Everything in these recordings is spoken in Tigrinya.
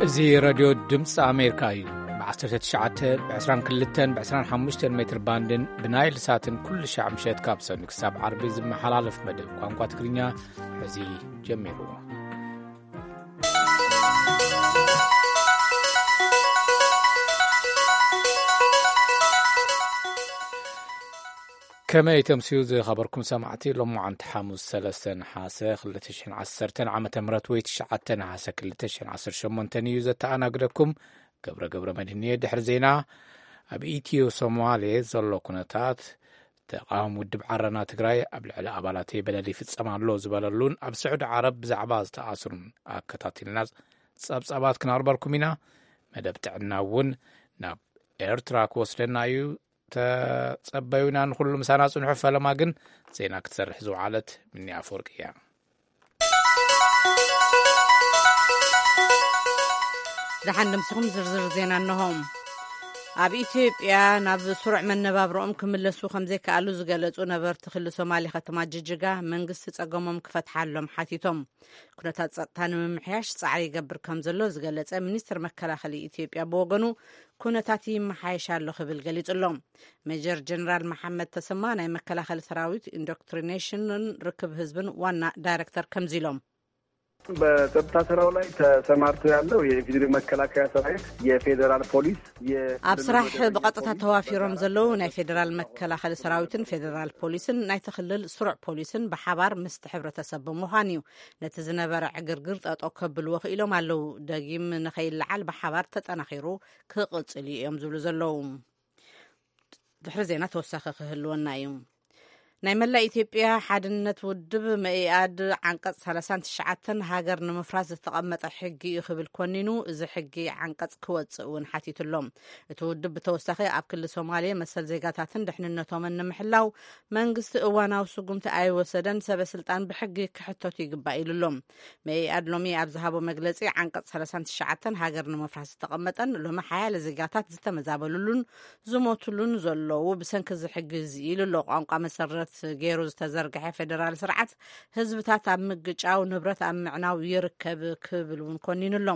እዚ ሬድዮ ድምፂ ኣሜሪካ እዩ። ብ19፣ ብ22፣ ብ25 ሜትር ባንድን ብናይል ሳትን ኩሉ ሻዕ ምሸት ካብ ሰኑይ ክሳብ ዓርቢ ዝመሓላለፍ መደብ ቋንቋ ትግርኛ ሕዚ ጀሚሩ። ከመይ ተምስዩ ዝኸበርኩም ሰማዕቲ፣ ሎማዓንቲ ሓሙስ ሰለስተ ነሓሰ ክልተ ሽሕን ዓሰርተን ዓመተ ምህረት ወይ ትሽዓተ ነሓሰ ክልተ ሽሕን ዓሰርተ ሸሞንተን እዩ ዘተኣናግደኩም። ገብረ ገብረ መድህን እየ። ድሕሪ ዜና፣ ኣብ ኢትዮ ሶማሌ ዘሎ ኩነታት፣ ተቃዋሚ ውድብ ዓረና ትግራይ ኣብ ልዕሊ ኣባላተይ በደል ይፍጸም ኣሎ ዝበለሉን ኣብ ስዑዲ ዓረብ ብዛዕባ ዝተኣስሩን ኣከታቲልና ጸብጻባት ክነቕርበልኩም ኢና። መደብ ጥዕና እውን ናብ ኤርትራ ክወስደና እዩ። ተጸበዩና፣ ንኹሉ ምሳና ጽንሑ። ፈለማ ግን ዜና ክትሰርሕ ዝወዓለት ምኒ ኣፈወርቂ እያ። ደሓን ደምስኹም ዝርዝር ዜና እንሆ። ኣብ ኢትዮጵያ ናብ ስሩዕ መነባብሮኦም ክምለሱ ከም ዘይከኣሉ ዝገለጹ ነበርቲ ክልል ሶማሌ ከተማ ጅጅጋ፣ መንግስቲ ጸገሞም ክፈትሓሎም ሓቲቶም። ኩነታት ጸጥታ ንምምሕያሽ ጻዕሪ ይገብር ከም ዘሎ ዝገለጸ ሚኒስትር መከላኸሊ ኢትዮጵያ ብወገኑ፣ ኩነታት ይመሓየሽ ኣሎ ክብል ገሊጹ ኣሎ። ሜጀር ጀነራል መሓመድ ተሰማ ናይ መከላኸሊ ሰራዊት ኢንዶክትሪኔሽንን ርክብ ህዝብን ዋና ዳይሬክተር ከምዚ ኢሎም። በጸጥታ ስራው ላይ ተሰማርቶ ያለው የኢፌዴሪ መከላከያ ሰራዊት፣ የፌዴራል ፖሊስ፣ የ- ኣብ ስራሕ ብቐጥታ ተዋፊሮም ዘለዉ ናይ ፌዴራል መከላኸሊ ሰራዊትን ፌዴራል ፖሊስን ናይቲ ክልል ስሩዕ ፖሊስን ብሓባር ምስቲ ሕብረተሰብ ብምዃን እዩ። ነቲ ዝነበረ ዕግርግር ጠጠው ከብልዎ ክኢሎም ኣለዉ። ደጊም ንኸይለዓል ብሓባር ተጠናኺሩ ክቕጽል እዩ እዮም ዝብሉ ዘለዉ። ድሕሪ ዜና ተወሳኺ ክህልወና እዩ። ናይ መላእ ኢትዮጵያ ሓድነት ውድብ መኢኣድ ዓንቀጽ ሰላሳን ትሽዓተን ሃገር ንምፍራስ ዝተቐመጠ ሕጊ እዩ ክብል ኮኒኑ፣ እዚ ሕጊ ዓንቀጽ ክወጽእ እውን ሓቲቱ ኣሎ። እቲ ውድብ ብተወሳኺ ኣብ ክልል ሶማሌ መሰል ዜጋታትን ድሕንነቶምን ንምሕላው መንግስቲ እዋናዊ ስጉምቲ ኣይወሰደን፣ ሰበ ስልጣን ብሕጊ ክሕተቱ ይግባእ ኢሉ ኣሎ። መኢኣድ ሎሚ ኣብ ዝሃቦ መግለጺ፣ ዓንቀጽ ሰላሳን ትሽዓተን ሃገር ንምፍራስ ዝተቐመጠን ሎሚ ሓያለ ዜጋታት ዝተመዛበሉሉን ዝሞቱሉን ዘለዉ ብሰንኪ እዚ ሕጊ እዚ ኢሉ ኣሎ። ቋንቋ መሰረት ገይሩ ዝተዘርግሐ ፌዴራል ስርዓት ህዝብታት ኣብ ምግጫው፣ ንብረት ኣብ ምዕናው ይርከብ ክብል እውን ኮኒኑ ኣሎ።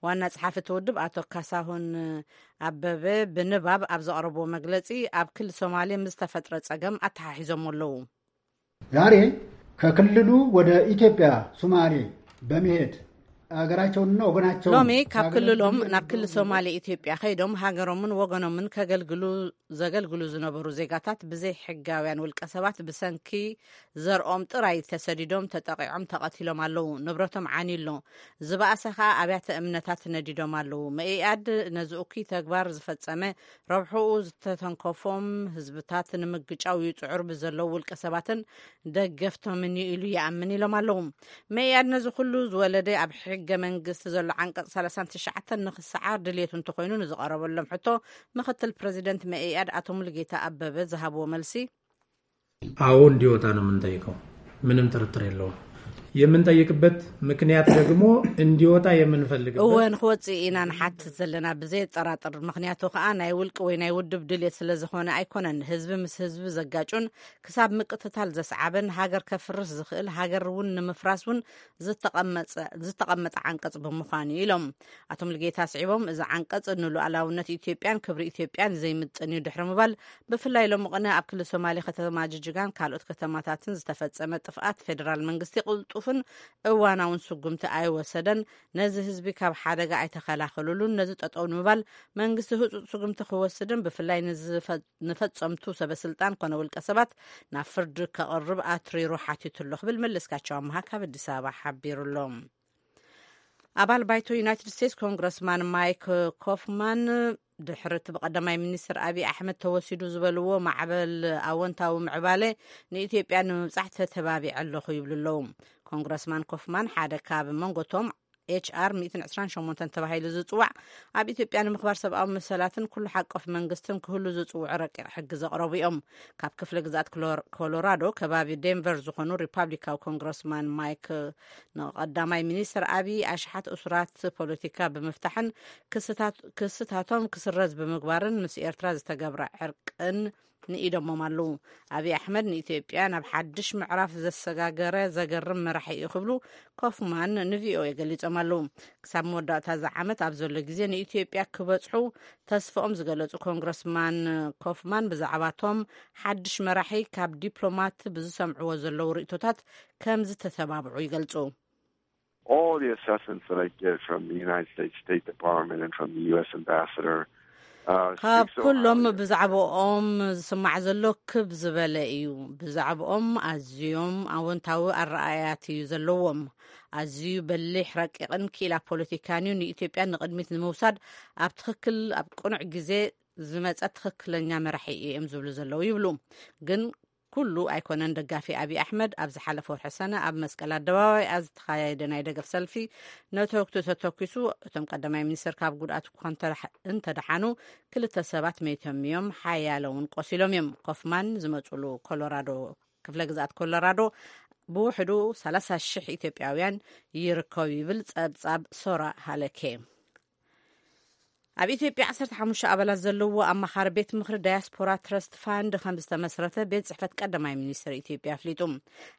ዋና ጸሓፊ እቲ ውድብ ኣቶ ካሳሁን ኣበበ ብንባብ ኣብ ዘቕረብዎ መግለጺ፣ ኣብ ክልል ሶማሌ ምስ ተፈጥረ ጸገም ኣተሓሒዞም ኣለዉ። ዛሬ ከክልሉ ወደ ኢትዮጵያ ሶማሌ በመሄድ ሀገራቸውንና ወገናቸውን ሎሚ ካብ ክልሎም ናብ ክልል ሶማሌ ኢትዮጵያ ከይዶም ሃገሮምን ወገኖምን ከገልግሉ ዘገልግሉ ዝነበሩ ዜጋታት ብዘይ ሕጋውያን ውልቀ ሰባት ብሰንኪ ዘርኦም ጥራይ ተሰዲዶም፣ ተጠቂዖም፣ ተቐቲሎም ኣለዉ። ንብረቶም ዓንዩ ኣሎ። ዝበኣሰ ኸኣ ኣብያተ እምነታት ነዲዶም ኣለዉ። መኢኣድ ነዚ እኩይ ተግባር ዝፈጸመ ረብሕኡ ዝተተንከፎም ህዝብታት ንምግጫው ይጽዕሩ ብዘለዉ ውልቀ ሰባትን ደገፍቶምን እዩ ኢሉ ይኣምን ኢሎም ኣለዉ። መኢኣድ ነዚ ኩሉ ዝወለደ ኣብ ሕገ መንግስቲ ዘሎ ዓንቀጽ ሰላሳን ትሽዓተን ንኽሰዓር ድልየቱ እንተኾይኑ ንዝቐረበሎም ሕቶ ምኽትል ፕረዚደንት መኢኣድ ኣቶ ሙሉጌታ ኣበበ ዝሃብዎ መልሲ፣ አዎ እንዲወጣ ነው የምንጠይቀው። ምንም ጥርጥር የለውም። የምንጠይቅበት ምክንያት ደግሞ እንዲወጣ የምንፈልግበት እወ፣ ንክወፅእ ኢና ንሓትት ዘለና ብዘየጠራጥር። ምክንያቱ ከዓ ናይ ውልቂ ወይ ናይ ውድብ ድልየት ስለ ዝኾነ ኣይኮነን። ህዝቢ ምስ ህዝቢ ዘጋጩን ክሳብ ምቅትታል ዘስዓበን ሃገር ከፍርስ ዝኽእል ሃገር እውን ንምፍራስ እውን ዝተቐመጸ ዝተቐመጠ ዓንቀጽ ብምዃኑ ኢሎም። ኣቶ ሙሉጌታ ኣስዒቦም፣ እዚ ዓንቀጽ ንሉዓላውነት ኢትዮጵያን ክብሪ ኢትዮጵያን ዘይምጥን እዩ ድሕሪ ምባል፣ ብፍላይ ሎሚ ቅነ ኣብ ክልል ሶማሌ ከተማ ጅጅጋን ካልኦት ከተማታትን ዝተፈጸመ ጥፍኣት ፌደራል መንግስቲ ቅልጡፍን እዋናውን ስጉምቲ ኣይወሰደን፣ ነዚ ህዝቢ ካብ ሓደጋ ኣይተኸላኸሉሉን፣ ነዚ ጠጠው ንምባል መንግስቲ ህጹጽ ስጉምቲ ክወስድን ብፍላይ ንዝፈ-፣ ንፈጸምቱ ሰበ ስልጣን ኮነ ውልቀ ሰባት ናብ ፍርዲ ከቕርብ ኣትሪሩ ሓቲቱ ኣሎ ክብል መለስካቸው ኣምሃ ካብ ኣዲስ ኣበባ ሓቢሩ ኣሎ። ኣባል ባይቶ ዩናይትድ ስቴትስ ኮንግረስማን ማይክ ኮፍማን ድሕሪ እቲ ብቀዳማይ ሚኒስትር ኣቢይ ኣሕመድ ተወሲዱ ዝበልዎ ማዕበል ኣወንታዊ ምዕባለ ንኢትዮጵያ ንምብጻሕ ተተባቢዐ ኣለኹ ይብሉ ኣለዉ። ኮንግረስማን ኮፍማን ሓደ ካብ መንጎቶም ኤች ኣር ሚእትን ዕስራን ሸሞንተን ተባሂሉ ዝጽዋዕ ኣብ ኢትዮጵያ ንምኽባር ሰብኣዊ መሰላትን ኩሉ ሓቆፍ መንግስትን ክህሉ ዝጽውዑ ረቂቕ ሕጊ ዘቕረቡ እዮም። ካብ ክፍለ ግዝኣት ኮሎር-፣ ኮሎራዶ ከባቢ ዴንቨር ዝኾኑ ሪፓብሊካዊ ኮንግረስማን ማይክ ንቀዳማይ ሚኒስትር ኣቢይ ኣሽሓት እሱራት ፖለቲካ ብምፍታሕን ክስታት-፣ ክስታቶም ክስረዝ ብምግባርን ምስ ኤርትራ ዝተገብረ ዕርቅን ንኢዶሞም ኣለዉ። ኣቢይ ኣሕመድ ንኢትዮጵያ ናብ ሓድሽ ምዕራፍ ዘሰጋገረ ዘገርም መራሒ እዩ ክብሉ ኮፍማን ንቪኦኤ ገሊጾም። ኣለዉ። ክሳብ መወዳእታ እዚ ዓመት ኣብ ዘሎ ግዜ ንኢትዮጵያ ክበጽሑ ተስፋኦም ዝገለጹ ኮንግረስማን ኮፍማን፣ ብዛዕባቶም ሓድሽ መራሒ ካብ ዲፕሎማት ብዝሰምዕዎ ዘለዉ ርእይቶታት ከም ዝተተባብዑ ይገልጹ። All the assessments that I get from the United States State Department and from the U S ambassador, uh, ካብ speak so ኩሎም highly of ብዛዕባኦም ዝስማዕ ዘሎ ክብ ዝበለ እዩ። ብዛዕባኦም ኣዝዮም ኣወንታዊ ኣረኣእያት እዩ ዘለዎም። ኣዝዩ በሊሕ፣ ረቂቕን ክኢላ ፖለቲካን እዩ። ንኢትዮጵያ ንቕድሚት ንምውሳድ ኣብ ትኽክል፣ ኣብ ቅኑዕ ግዜ ዝመጸ ትኽክለኛ መራሒ እዮም ዝብሉ ዘለዉ ይብሉ። ግን ኩሉ ኣይኮነን ደጋፊ ኣብይ ኣሕመድ። ኣብ ዝሓለፈ ወርሒ ሰነ ኣብ መስቀል ኣደባባይ ኣብ ዝተኻየደ ናይ ደገፍ ሰልፊ ነተወግቱ ተተኪሱ፣ እቶም ቀዳማይ ሚኒስትር ካብ ጉድኣት እኳ እንተደሓ- እንተደሓኑ፣ ክልተ ሰባት መይቶም እዮም፣ ሓያለ እውን ቆሲሎም እዮም። ኮፍማን ዝመፅሉ ኮሎራዶ፣ ክፍለ ግዝኣት ኮሎራዶ፣ ብውሕዱ ሰላሳ ሺሕ ኢትዮጵያውያን ይርከቡ ይብል ጸብጻብ ሶራ ሃለኬ። ኣብ ኢትዮጵያ ዓሰርተ ሓሙሽተ ኣባላት ዘለዎ ኣማኻሪ ቤት ምኽሪ ዳያስፖራ ትረስት ፋንድ ከም ዝተመስረተ ቤት ጽሕፈት ቀዳማይ ሚኒስትር ኢትዮጵያ ኣፍሊጡ።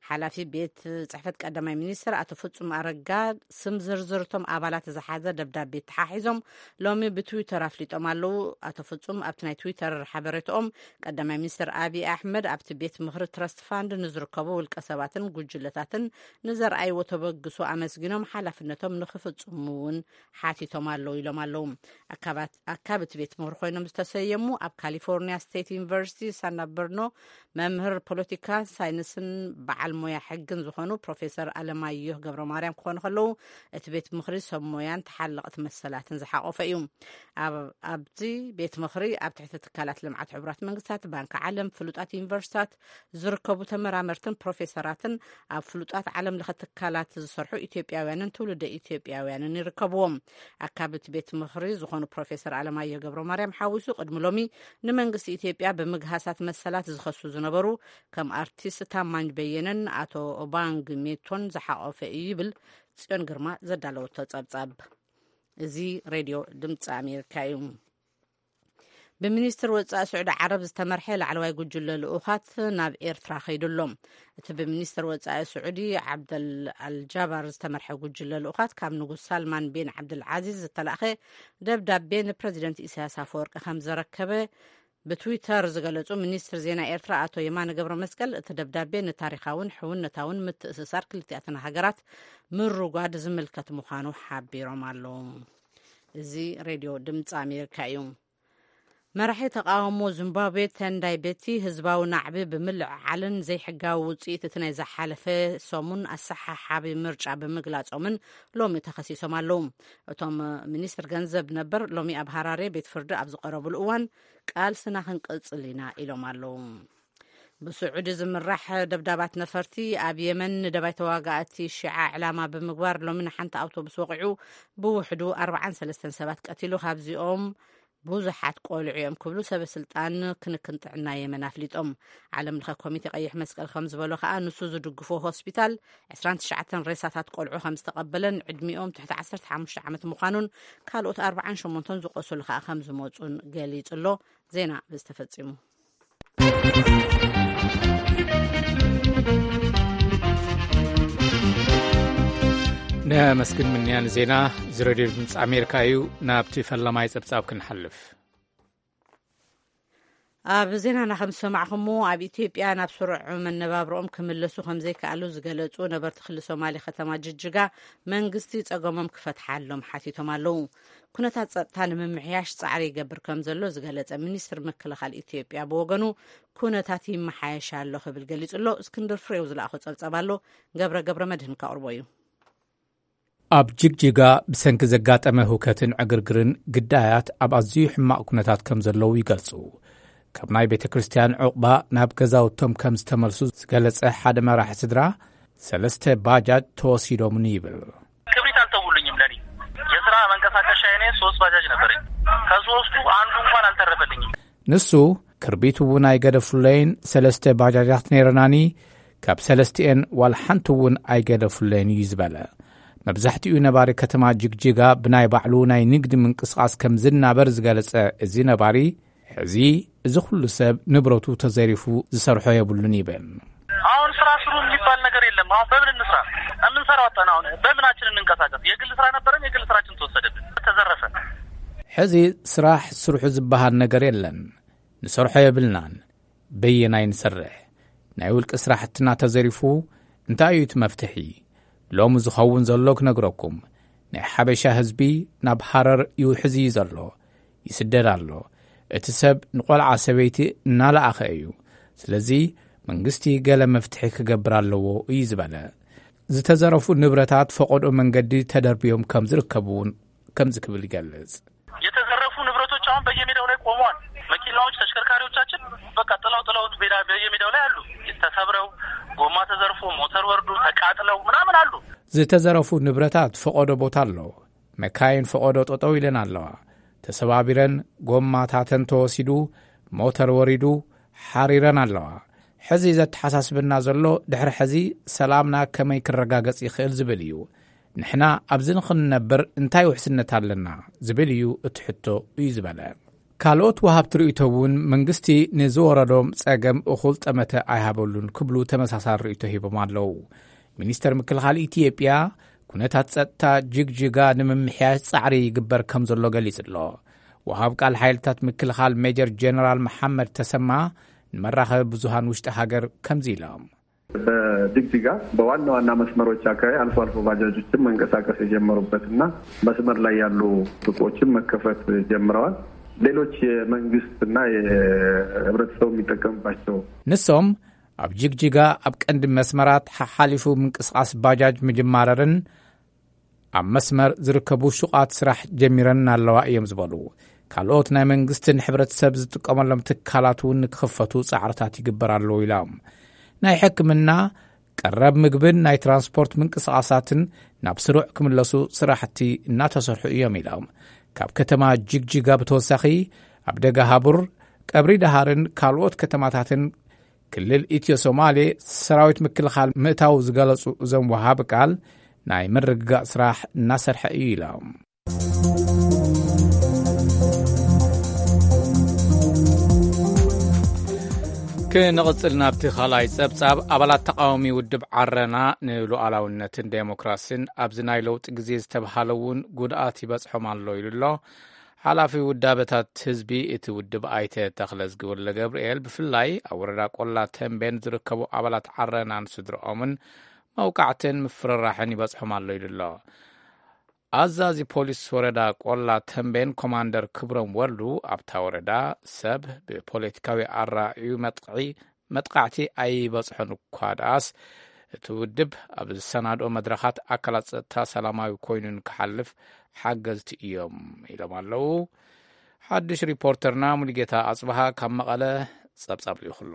ሓላፊ ቤት ጽሕፈት ቀዳማይ ሚኒስትር ኣቶ ፍጹም ኣረጋ ስም ዝርዝር እቶም ኣባላት ዝሓዘ ደብዳቤ ተሓሒዞም ሎሚ ብትዊተር ኣፍሊጦም ኣለዉ። ኣቶ ፍጹም ኣብቲ ናይ ትዊተር ሓበሬታኦም፣ ቀዳማይ ሚኒስትር ኣብይ ኣሕመድ ኣብቲ ቤት ምኽሪ ትረስት ፋንድ ንዝርከቡ ውልቀ ሰባትን ጉጅለታትን ንዘርኣይዎ ተበግሶ ኣመስጊኖም፣ ሓላፍነቶም ንክፍጽሙ እውን ሓቲቶም ኣለዉ ኢሎም ኣለዉ። ኣካባት- ኣካቢ እቲ ቤት ምኽሪ ኮይኖም ዝተሰየሙ ኣብ ካሊፎርኒያ ስቴት ዩኒቨርሲቲ ሳን በርኖ መምህር ፖለቲካ ሳይንስን በዓል ሞያ ሕግን ዝኾኑ ፕሮፌሰር ኣለማየሁ ገብረ ማርያም ክኾኑ ከለዉ፣ እቲ ቤት ምኽሪ ሰብ ሞያን ተሓለቕቲ መሰላትን ዝሓቆፈ እዩ። ኣብ- ኣብዚ ቤት ምኽሪ ኣብ ትሕቲ ትካላት ልምዓት ሕቡራት መንግስታት፣ ባንኪ ዓለም፣ ፍሉጣት ዩኒቨርሲታት ዝርከቡ ተመራመርትን ፕሮፌሰራትን ኣብ ፍሉጣት ዓለም ለኸ ትካላት ዝሰርሑ ኢትዮጵያውያንን ትውልደ ኢትዮጵያውያንን ይርከብዎም። ኣካቢ እቲ ቤት ምኽሪ ዝኾኑ ፕሮፌሰር ኣለማየሁ ገብረ ማርያም ሓዊሱ ቅድሚ ሎሚ ንመንግስቲ ኢትዮጵያ ብምግሃሳት መሰላት ዝኸሱ ዝነበሩ ከም ኣርቲስት ታማኝ በየነን ኣቶ ኦባንግ ሜቶን ዝሓቆፈ እዩ ይብል ጽዮን ግርማ ዘዳለወቶ ጸብጻብ። እዚ ሬድዮ ድምፂ ኣሜሪካ እዩ። ብሚኒስትር ወፃኢ ስዑዲ ዓረብ ዝተመርሐ ላዕለዋይ ጉጅለ ልኡኻት ናብ ኤርትራ ከይዱ ኣሎ። እቲ ብሚኒስትር ወፃኢ ስዑዲ ዓብደል ኣልጃባር ዝተመርሐ ጉጅለ ልኡኻት ካብ ንጉስ ሳልማን ቢን ዓብደል ዓዚዝ ዝተላእኸ ደብዳቤ ንፕረዚደንት ኢሳያስ ኣፈወርቂ ከም ዘረከበ ብትዊተር ዝገለጹ ሚኒስትር ዜና ኤርትራ ኣቶ የማነ ገብረ መስቀል፣ እቲ ደብዳቤ ንታሪኻውን ሕውነታውን ምትእስሳር ክልቲኣተን ሃገራት ምርጓድ ዝምልከት ምዃኑ ሓቢሮም ኣለዉ። እዚ ሬድዮ ድምፂ ኣሜሪካ እዩ። መራሒ ተቃውሞ ዚምባብዌ ተንዳይ ቤቲ ህዝባዊ ናዕቢ ብምልዕዓልን ዘይሕጋዊ ውፅኢት እቲ ናይ ዝሓለፈ ሰሙን ኣሰሓሓቢ ምርጫ ብምግላጾምን ሎሚ ተኸሲሶም ኣለዉ። እቶም ሚኒስትር ገንዘብ ነበር ሎሚ ኣብ ሃራሬ ቤት ፍርዲ ኣብ ዝቐረብሉ እዋን ቃልስና ክንቅጽል ኢና ኢሎም ኣለዉ። ብስዑዲ ዝምራሕ ደብዳባት ነፈርቲ ኣብ የመን ንደባይ ተዋጋእቲ ሺዓ ዕላማ ብምግባር ሎሚ ንሓንቲ ኣውቶቡስ ወቒዑ ብውሕዱ ኣርባዓን ሰለስተን ሰባት ቀቲሉ። ካብዚኦም ብዙሓት ቆልዑ እዮም ክብሉ ሰበ ስልጣን ክንክን ጥዕና የመን ኣፍሊጦም። ዓለም ለኸ ኮሚቴ ቀይሕ መስቀል ከም ዝበሎ ከኣ ንሱ ዝድግፎ ሆስፒታል ዕስራን ትሽዓተን ሬሳታት ቆልዑ ከም ዝተቐበለን ዕድሚኦም ትሕቲ ዓሰርተ ሓሙሽተ ዓመት ምዃኑን ካልኦት ኣርባዓን ሸሞንተን ዝቆሰሉ ከኣ ከም ዝመጹን ገሊጹ ኣሎ። ዜና ብዝተፈጺሙ። ነመስግን ምንያን ዜና ዝረድዮ ድምፂ ኣሜሪካ እዩ። ናብቲ ፈላማይ ፀብፃብ ክንሓልፍ። ኣብ ዜናና ከም ዝሰማዕኹሞ፣ ኣብ ኢትዮጵያ ናብ ስሩዕ መነባብሮኦም ክምለሱ ከም ዘይከኣሉ ዝገለጹ ነበርቲ ክሊ ሶማሌ ከተማ ጅጅጋ መንግስቲ ጸገሞም ክፈትሓሎም ሓቲቶም ኣለዉ። ኩነታት ጸጥታ ንምምሕያሽ ጻዕሪ ይገብር ከም ዘሎ ዝገለጸ ሚኒስትር ምክልኻል ኢትዮጵያ ብወገኑ፣ ኩነታት ይመሓየሽ ኣሎ ክብል ገሊጹ ኣሎ። እስክንድር ፍሬው ዝለኣኾ ጸብጻብ ኣሎ፣ ገብረ ገብረ መድህን ከቕርቦ እዩ። ኣብ ጅግጅጋ ብሰንኪ ዘጋጠመ ህውከትን ዕግርግርን ግዳያት ኣብ ኣዝዩ ሕማቕ ኩነታት ከም ዘለዉ ይገልጹ። ካብ ናይ ቤተ ክርስቲያን ዕቑባ ናብ ገዛውቶም ከም ዝተመልሱ ዝገለጸ ሓደ መራሒ ስድራ፣ ሰለስተ ባጃጅ ተወሲዶምኒ ይብል። ክብሪት አልተውልኝም። ለኔ የስራ መንቀሳቀሻ የኔ ሶስት ባጃጅ ነበረኝ። ከሶስቱ አንዱ እንኳን አልተረፈልኝም። ንሱ፣ ክርቢት እውን ኣይገደፉለይን፣ ሰለስተ ባጃጃት ነይረናኒ፣ ካብ ሰለስቲኤን ዋላ ሓንቲ እውን ኣይገደፉለይን እዩ ዝበለ። መብዛሕትኡ ነባሪ ከተማ ጅግጅጋ ብናይ ባዕሉ ናይ ንግዲ ምንቅስቓስ ከም ዝናበር ዝገለጸ እዚ ነባሪ፣ ሕዚ እዚ ኩሉ ሰብ ንብረቱ ተዘሪፉ ዝሰርሖ የብሉን ይብል። አሁን ስራ ስሩ የሚባል ነገር የለም። አሁን በምን እንስራ? ምን ተራወጠን። አሁን በምናችን እንንቀሳቀስ? የግል ስራ ነበረን፣ የግል ስራችን ተወሰደብን፣ ተዘረፈ። ሕዚ ስራሕ ስርሑ ዝበሃል ነገር የለን። ንሰርሖ የብልናን። በየናይ ንሰርሕ? ናይ ውልቂ ስራሕትና ተዘሪፉ። እንታይ እዩ እቲ መፍትሒ? ሎሚ ዝኸውን ዘሎ ክነግረኩም፣ ናይ ሓበሻ ህዝቢ ናብ ሃረር ይውሕዝ እዩ ዘሎ፣ ይስደድ ኣሎ። እቲ ሰብ ንቆልዓ ሰበይቲ እናለኣኸ እዩ። ስለዚ መንግስቲ ገለ መፍትሒ ክገብር ኣለዎ እዩ ዝበለ። ዝተዘረፉ ንብረታት ፈቐዶ መንገዲ ተደርብዮም ከም ዝርከቡ እውን ከምዚ ክብል ይገልጽ። የተዘረፉ ንብረቶች አሁን በየሜዳው ላይ ቆመዋል። መኪናዎች፣ ተሽከርካሪዎቻችን በቃ ጥለው ጥለውት ሜዳ፣ በየሜዳው ላይ አሉ። ተሰብረው፣ ጎማ ተዘርፎ፣ ሞተር ወርዶ፣ ተቃጥለው ምናምን አሉ። ዝተዘረፉ ንብረታት ፈቐዶ ቦታ ኣሎ። መካይን ፈቐዶ ጠጠው ኢለን ኣለዋ። ተሰባቢረን፣ ጎማታተን ተወሲዱ፣ ሞተር ወሪዱ፣ ሓሪረን ኣለዋ። ሕዚ ዘተሓሳስበና ዘሎ፣ ድሕሪ ሕዚ ሰላምና ከመይ ክረጋገጽ ይኽእል ዝብል እዩ። ንሕና ኣብዚ ንኽንነብር እንታይ ውሕስነት ኣለና ዝብል እዩ እቲ ሕቶ እዩ ዝበለ። ካልኦት ወሃብቲ ርእይቶ እውን መንግስቲ ንዝወረዶም ጸገም እኹል ጠመተ ኣይሃበሉን ክብሉ ተመሳሳሊ ርእይቶ ሂቦም ኣለዉ። ሚኒስተር ምክልኻል ኢትዮጵያ፣ ኩነታት ጸጥታ ጅግጅጋ ንምምሕያሽ ጻዕሪ ይግበር ከም ዘሎ ገሊጹ ኣሎ። ወሃብ ቃል ሓይልታት ምክልኻል ሜጀር ጀነራል መሓመድ ተሰማ ንመራኸቢ ብዙሃን ውሽጢ ሃገር ከምዚ ኢሎም። በጅግጅጋ በዋና ዋና መስመሮች አካባቢ አልፎ አልፎ ባጃጆችን መንቀሳቀስ የጀመሩበትና መስመር ላይ ያሉ ሱቆችን መከፈት ጀምረዋል። ሌሎች የመንግስትና የህብረተሰቡ የሚጠቀምባቸው ንሶም ኣብ ጅግጅጋ ኣብ ቀንዲ መስመራት ሓሓሊፉ ምንቅስቓስ ባጃጅ ምጅማረርን ኣብ መስመር ዝርከቡ ሹቓት ስራሕ ጀሚረን ኣለዋ እዮም ዝበሉ። ካልኦት ናይ መንግስትን ሕብረተሰብ ዝጥቀመሎም ትካላት እውን ንክኽፈቱ ጻዕርታት ይግበር ኣለዉ ኢሎም። ናይ ሕክምና፣ ቀረብ ምግብን ናይ ትራንስፖርት ምንቅስቓሳትን ናብ ስሩዕ ክምለሱ ስራሕቲ እናተሰርሑ እዮም ኢሎም። ካብ ከተማ ጅግጅጋ ብተወሳኺ ኣብ ደጋ ሃቡር፣ ቀብሪ ደሃርን ካልኦት ከተማታትን ክልል ኢትዮ ሶማሌ ሰራዊት ምክልኻል ምእታው ዝገለጹ እዞም ወሃቢ ቃል፣ ናይ ምርግጋእ ስራሕ እናሰርሐ እዩ ኢሎም። ክንቕጽል ናብቲ ካልኣይ ጸብጻብ፣ ኣባላት ተቃዋሚ ውድብ ዓረና ንሉዓላውነትን ዴሞክራሲን ኣብዚ ናይ ለውጢ ግዜ ዝተብሃለ እውን ጉድኣት ይበጽሖም ኣሎ ኢሉ ኣሎ። ሓላፊ ውዳበታት ህዝቢ እቲ ውድብ ኣይተ ተኽለዝጊ ወልደ ገብርኤል፣ ብፍላይ ኣብ ወረዳ ቆላ ተንቤን ዝርከቡ ኣባላት ዓረናን ስድርኦምን መውቃዕትን ምፍርራሕን ይበጽሖም ኣሎ ኢሉ ኣሎ። ኣዛዚ ፖሊስ ወረዳ ቆላ ተንቤን ኮማንደር ክብሮም ወልዱ፣ ኣብታ ወረዳ ሰብ ብፖለቲካዊ ኣራእዩ መጥቕዒ መጥቃዕቲ ኣይበጽሖን እኳ ደኣስ፣ እቲ ውድብ ኣብ ዝሰናድኦ መድረኻት ኣካላት ጸጥታ ሰላማዊ ኮይኑ ንክሓልፍ ሓገዝቲ እዮም ኢሎም ኣለዉ። ሓድሽ ሪፖርተርና ሙሉጌታ ኣጽብሃ ካብ መቐለ ጸብጻብ ልኢኹ ኣሎ።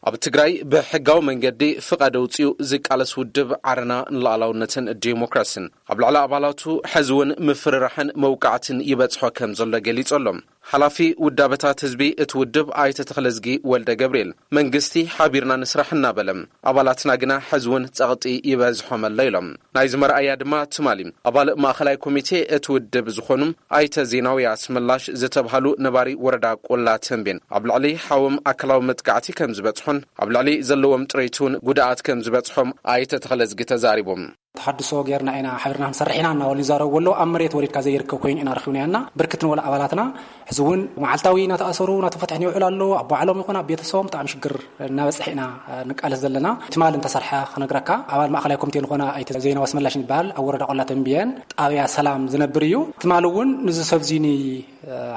ኣብ ትግራይ ብሕጋዊ መንገዲ ፍቓድ ኣውጺኡ ዝቃለስ ውድብ ዓረና ንሉዓላውነትን ዲሞክራስን፣ ኣብ ልዕሊ ኣባላቱ ሕዚ እውን ምፍርራሕን መውቃዕትን ይበጽሖ ከም ዘሎ ገሊጹ ኣሎ። ሓላፊ ውዳበታት ህዝቢ እቲ ውድብ ኣይተ ተኽለዝጊ ወልደ ገብርኤል፣ መንግስቲ ሓቢርና ንስራሕ እናበለ፣ ኣባላትና ግና ሕዚ እውን ጸቕጢ ይበዝሖም ኣሎ ኢሎም። ናይዚ መርኣያ ድማ ትማሊ ኣባል ማእኸላይ ኮሚቴ እቲ ውድብ ዝኾኑ ኣይተ ዜናዊ ኣስመላሽ ዝተብሃሉ ነባሪ ወረዳ ቆላ ተንቤን፣ ኣብ ልዕሊ ሓዎም ኣካላዊ መጥቃዕቲ ከም ዝበጽሖን ኣብ ልዕሊ ዘለዎም ጥሪት እውን ጉድኣት ከም ዝበጽሖም ኣይተ ተኽለዝጊ ተዛሪቦም። ተሓድሶ ጌርና ኢና፣ ሓቢርና ክንሰርሕ ኢና እናበሉ ይዛረቡ ኣለዉ። ኣብ መሬት ወሪድካ ዘይርከብ ኮይኑ ኢና ረኺብናዮ እና ብርክት ንበሉ ኣባላትና ሕዚ እውን መዓልታዊ እናተኣሰሩ እናተፈትሑ ይውዕሉ ኣለዉ። ኣብ ባዕሎም ይኹን ኣብ ቤተሰቦም ብጣዕሚ ሽግር እናበፅሐ ኢና ንቃለስ ዘለና። ትማሊ እንተሰርሐ ክነግረካ፣ ኣባል ማእኸላይ ኮሚቴ ዝኾነ ኣይተ ዘይናዊ ኣስመላሽ ይበሃል፣ ኣብ ወረዳ ቆላ ተንብየን ጣብያ ሰላም ዝነብር እዩ። ትማሊ እውን ንዚ ሰብ እዚ ኒ-፣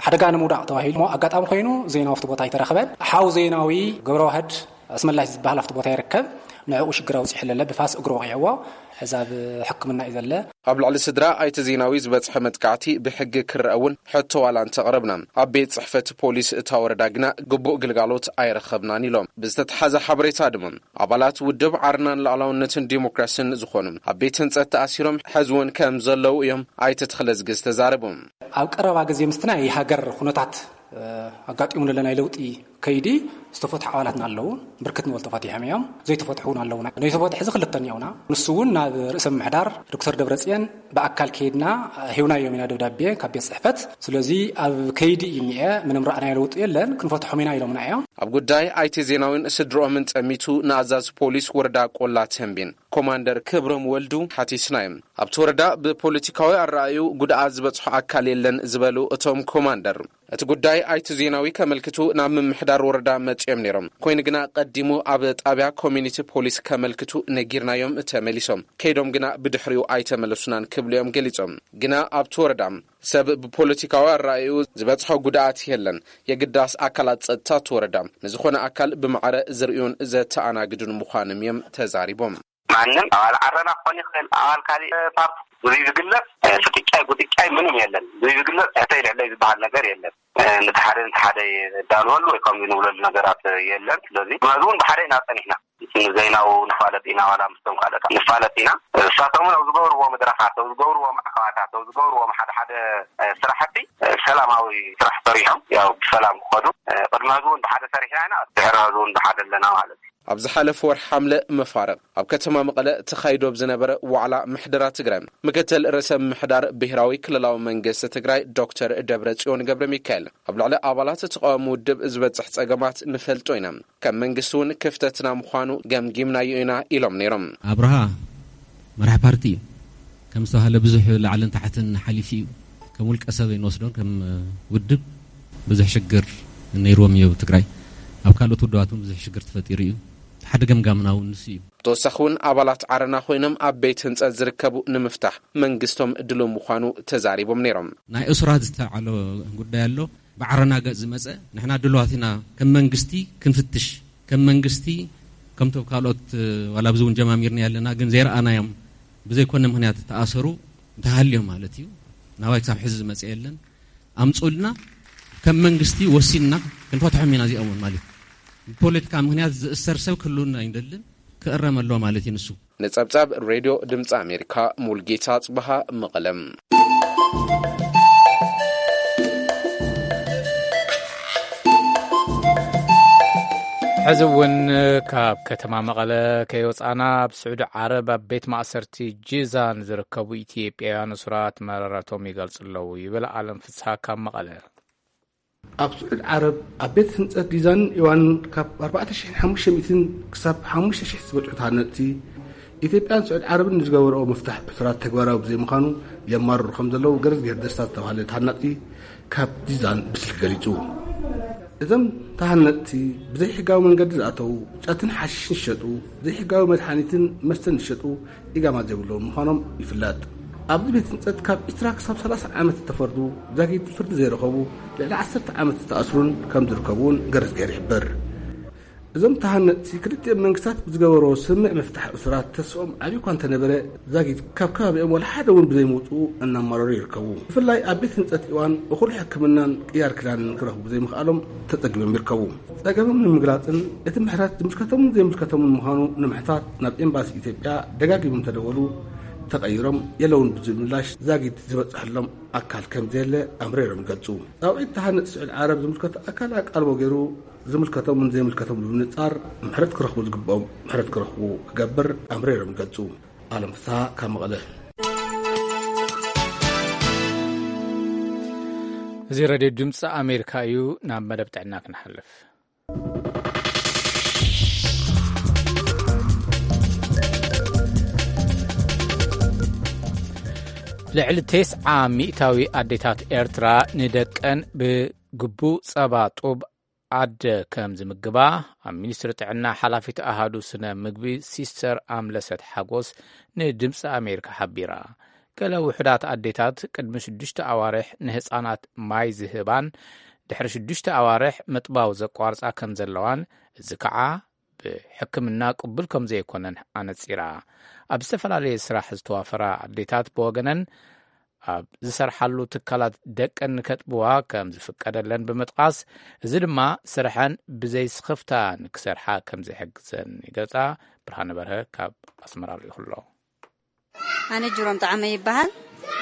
ሓደጋ ንምውዳቕ ተባሂሉ እሞ ኣጋጣሚ ኮይኑ ዘይናዊ ኣብቲ ቦታ ኣይተረኸበን። ሓው ዘይናዊ ገብረዋህድ ኣስመላሽ ዝበሃል ኣብቲ ቦታ ይርከብ። ንዕኡ ሽግር ኣውፂሑ ኣለለ፣ ብፋስ እግሩ ወቒዕዎ፣ ሕዚ ኣብ ሕክምና እዩ ዘለ። ኣብ ልዕሊ ስድራ ኣይተ ዜናዊ ዝበፅሐ መጥቃዕቲ ብሕጊ ክረአ እውን ሕቶ ዋላ እንተቕረብና፣ ኣብ ቤት ፅሕፈት ፖሊስ እታ ወረዳ ግና ግቡእ ግልጋሎት ኣይረኸብናን ኢሎም። ብዝተተሓዘ ሓበሬታ ድማ፣ ኣባላት ውድብ ዓርናን ሉዓላውነትን ዲሞክራስን ዝኾኑ ኣብ ቤት ህንፀት ተኣሲሮም ሕዚ እውን ከም ዘለዉ እዮም ኣይተ ተኽለዝጊ ዝተዛረቡ። ኣብ ቀረባ ግዜ ምስቲ ናይ ሃገር ኩነታት፣ እ፣ ኣጋጢሙ ዘሎ ናይ ለውጢ ከይዲ ዝተፈትሑ ኣባላትና ኣለዉ። ብርክት ንበሉ ተፈቲሖም እዮም። ዘይተፈትሑ እውን ኣለዉና። ነቲ ፈትሒ እዚ ክልተ እኒኦና። ንሱ እውን ናብ ርእሰ ምምሕዳር ዶክተር ደብረጽዮን ብኣካል ከይድና ሂብናዮም ኢና ደብዳቤ ካብ ቤት ጽሕፈት። ስለዚ ኣብ ከይዲ እዩ እኒአ፣ ምንም ረኣናዮ ለውጢ የለን፣ ክንፈትሖም ኢና ኢሎምና እዮም። ኣብ ጉዳይ ኣይተ ዜናዊን ስድርኦምን ጸሚቱ ንኣዛዚ ፖሊስ ወረዳ ቆላ ተንቤን ኮማንደር ክብሮም ወልዱ ሓቲስናዮም። ኣብቲ ወረዳ ብፖለቲካዊ ኣረኣዩ ጉድኣት ዝበጽሖ ኣካል የለን ዝበሉ እቶም ኮማንደር፣ እቲ ጉዳይ ኣይተ ዜናዊ ከመልክቱ ናብ ምምሕዳር ወረዳ መጺኦም ነይሮም። ኮይኑ ግና ቀዲሙ ኣብ ጣብያ ኮሚኒቲ ፖሊስ ከመልክቱ ነጊርናዮም ተመሊሶም። ከይዶም ግና ብድሕሪኡ ኣይተመለሱናን ክብሉ እዮም ገሊጾም። ግና ኣብቲ ወረዳ ሰብ ብፖለቲካዊ ኣረኣዩ ዝበጽሖ ጉድኣት የለን። የግዳስ ኣካላት ጸጥታ እቲ ወረዳ ንዝኾነ ኣካል ብማዕረ ዝርእዩን ዘተኣናግዱን ምዃኖም እዮም ተዛሪቦም። ማንም ኣባል ዓረና ክኾን ይኽእል፣ ኣባል ካሊእ ፓርቲ ብዙይ ዝግለጽ፣ እ፣ ፍጥጫይ ጉጥጫይ ምንም የለን። ብዙይ ዝግለጽ ትሕተይ ልዕለይ ዝበሃል ነገር የለን። እ፣ ነቲ ሓደ ነቲ ሓደ የዳልወሉ ወይ ከምዚ ንብለሉ ነገራት የለን። ስለዚ መዚ እውን ብሓደ ኢና ጸኒሕና። ንዘይናው ንፋለጥ ኢና፣ ዋላ ምስቶም ካልኦት ንፋለጥ ኢና። እሳቶም እውን ኣብ ዝገብርዎ መድረኻት፣ ኣብ ዝገብርዎ ማዕከባታት፣ ኣብ ዝገብርዎም ሓደ ሓደ፣ እ፣ ስራሕቲ፣ እ፣ ሰላማዊ ስራሕ ሰሪሖም፣ ያው ብሰላም ክኸዱ፣ እ፣ ቅድሚ ሕዚ እውን ብሓደ ሰሪሕና ኢና፣ ድሕሪ ሕዚ እውን ብሓደ ኣለና ማለት እዩ። ኣብ ዝሓለፈ ወርሒ ሓምለ መፋርቕ ኣብ ከተማ መቐለ ተኻይዶ ኣብ ዝነበረ ዋዕላ ምሕደራ ትግራይ፣ ምክትል ርእሰ ምምሕዳር ብሄራዊ ክልላዊ መንግስቲ ትግራይ ዶክተር ደብረጽዮን ገብረ ሚካኤል፣ ኣብ ልዕሊ ኣባላት ተቃዋሚ ውድብ ዝበጽሕ ጸገማት ንፈልጦ ኢና፣ ከም መንግስቲ እውን ክፍተትና ምዃኑ ገምጊምናዮ ኢና ኢሎም ነይሮም። ኣብርሃ መራሕ ፓርቲ እዩ። ከም ዝተባህለ ብዙሕ ላዕልን ታሕትን ሓሊፉ እዩ። ከም ውልቀ ሰብ ኣይንወስዶን፣ ከም ውድብ ብዙሕ ሽግር ነይርዎም እዩ ኣብ ትግራይ። ኣብ ካልኦት ውድባት እውን ብዙሕ ሽግር ተፈጢሩ እዩ። ሓደ ገምጋምና እውን ንሱ እዩ። ብተወሳኺ እውን ኣባላት ዓረና ኮይኖም ኣብ ቤት ህንፀት ዝርከቡ ንምፍታሕ መንግስቶም ድሉው ምዃኑ ተዛሪቦም ነይሮም። ናይ እሱራት ዝተልዓሎ ጉዳይ ኣሎ። ብዓረና ገጽ ዝመጸ ንሕና ድሉዋት ኢና፣ ከም መንግስቲ ክንፍትሽ፣ ከም መንግስቲ ከምቶም ካልኦት፣ እ፣ ዋላ ኣብዚ እውን ጀማሚርና ኣለና፣ ግን ዘይረኣናዮም ብዘይኮነ ምኽንያት ተኣሰሩ እንተሃልዮም ማለት እዩ፣ ናባይ ክሳብ ሕዚ ዝመጸ የለን። ኣምጹልና፣ ከም መንግስቲ ወሲንና ክንፈትሖም ኢና እዚኦም እውን ማለት እዩ። ብፖለቲካ ምኽንያት ዝእሰር ሰብ ክህልውና ኣይንደልን፣ ክእረም ኣለዎ ማለት እዩ ንሱ። ንጸብጻብ ሬድዮ ድምጺ ኣሜሪካ፣ ሙልጌታ ጽበሃ፣ መቐለም። ሕዚ እውን ካብ ከተማ መቐለ ከይወጻና፣ ኣብ ስዑዲ ዓረብ ኣብ ቤት ማእሰርቲ ጂዛን ዝርከቡ ኢትዮጵያውያን እሱራት መረረቶም ይገልጹ ኣለዉ ይብል ኣለም ፍስሃ ካብ መቐለ። ኣብ ስዑድ ዓረብ ኣብ ቤት ህንጸት ዲዛንን ኢዋንን ካብ ኣርባዕተ ሽሕን ሓሙሽተ ሚእትን ክሳብ ሓሙሽተ ሽሕ ዝበጽሑ ተሃነጽቲ፣ ኢትዮጵያን ስዑድ ዓረብን ንዝገበርኦ ምፍታሕ እሱራት ተግባራዊ ብዘይምዃኑ የማርሩ ከም ዘለዉ ገረዝጌር ደስታ ዝተባህለ ተሃናጺ ካብ ዲዛን ብስልኪ ገሊጹ። እዞም ተሃነጽቲ ብዘይሕጋዊ መንገዲ ዝኣተዉ፣ ጫትን ሓሽሽን ዝሸጡ፣ ዘይሕጋዊ መድሓኒትን መስተን ዝሸጡ፣ ኢጋማ ዘይብሎም ምዃኖም ይፍለጥ። ኣብዚ ቤት ህንጸት ካብ ዕስራ ክሳብ ሰላሳ ዓመት ዝተፈርዱ፣ ዛጊት ፍርዲ ዘይረኸቡ፣ ልዕሊ ዓሰርተ ዓመት ዝተኣስሩን ከም ዝርከቡ እውን ገረዝጌር ይሕብር። እዞም ተሃነጽቲ ክልቲኦም መንግስታት ብዝገበርዎ ስምምዕ ምፍታሕ እሱራት ተስኦም ዓብዪ እኳ እንተነበረ፣ ዛጊት ካብ ከባቢኦም ዋላ ሓደ እውን ብዘይምውጽኡ እናማረሩ ይርከቡ። ብፍላይ ኣብ ቤት ህንጸት ኢዋን እኹል ሕክምናን ቅያር ክዳንን ክረኽቡ ዘይምኽኣሎም ተጸጊሞም ይርከቡ። ጸገሞም ንምግላጽን እቲ ምሕረት ዝምልከቶምን ዘይምልከቶምን ምዃኑ ንምሕታት ናብ ኤምባሲ ኢትዮጵያ ደጋጊሞም እንተደወሉ፣ ተቐይሮም የለውን ብዝብል ምላሽ ዛጊት ዝበጽሐሎም ኣካል ከም ዘየለ ኣምሪሮም ይገልጹ። ጻውዒት ተሃነጽቲ ስዑድ ዓረብ ዝምልከቶ ኣካል ኣቃልቦ ገይሩ ዝምልከቶምን ዘይምልከቶምን ብምንጻር ምሕረት ክረኽቡ ዝግብኦም ምሕረት ክረኽቡ ክገብር ኣምሪሮም ይገልጹ። ኣለም ፍስሃ ካብ መቐለ። እዚ ሬድዮ ድምፂ ኣሜሪካ እዩ። ናብ መደብ ጥዕና ክንሓልፍ። ልዕሊ ተስዓ ሚእታዊ ኣዴታት ኤርትራ ንደቀን ብግቡእ ጸባ ጡብ ኣደ ከም ዝምግባ ኣብ ሚኒስትሪ ጥዕና ሓላፊት ኣሃዱ ስነ ምግቢ ሲስተር ኣምለሰት ሓጎስ ንድምፂ ኣሜሪካ ሓቢራ። ገለ ውሑዳት ኣዴታት ቅድሚ ሽዱሽተ ኣዋርሕ ንህፃናት ማይ ዝህባን ድሕሪ ሽዱሽተ ኣዋርሕ ምጥባው ዘቋርፃ ከም ዘለዋን፣ እዚ ከዓ ብሕክምና ቅቡል ከም ዘይኮነን ኣነፂራ። ኣብ ዝተፈላለየ ስራሕ ዝተዋፈራ ኣዴታት ብወገነን ኣብ ዝሰርሓሉ ትካላት ደቀን ንከጥብዋ ከም ዝፍቀደለን ብምጥቃስ፣ እዚ ድማ ስርሐን ብዘይስኽፍታ ንክሰርሓ ከም ዝሕግዘን ይገልጻ። ብርሃነ በርሀ ካብ ኣስመራ ልኢኹ ኣሎ። ኣነ ጅሮም ጣዕመ ይበሃል።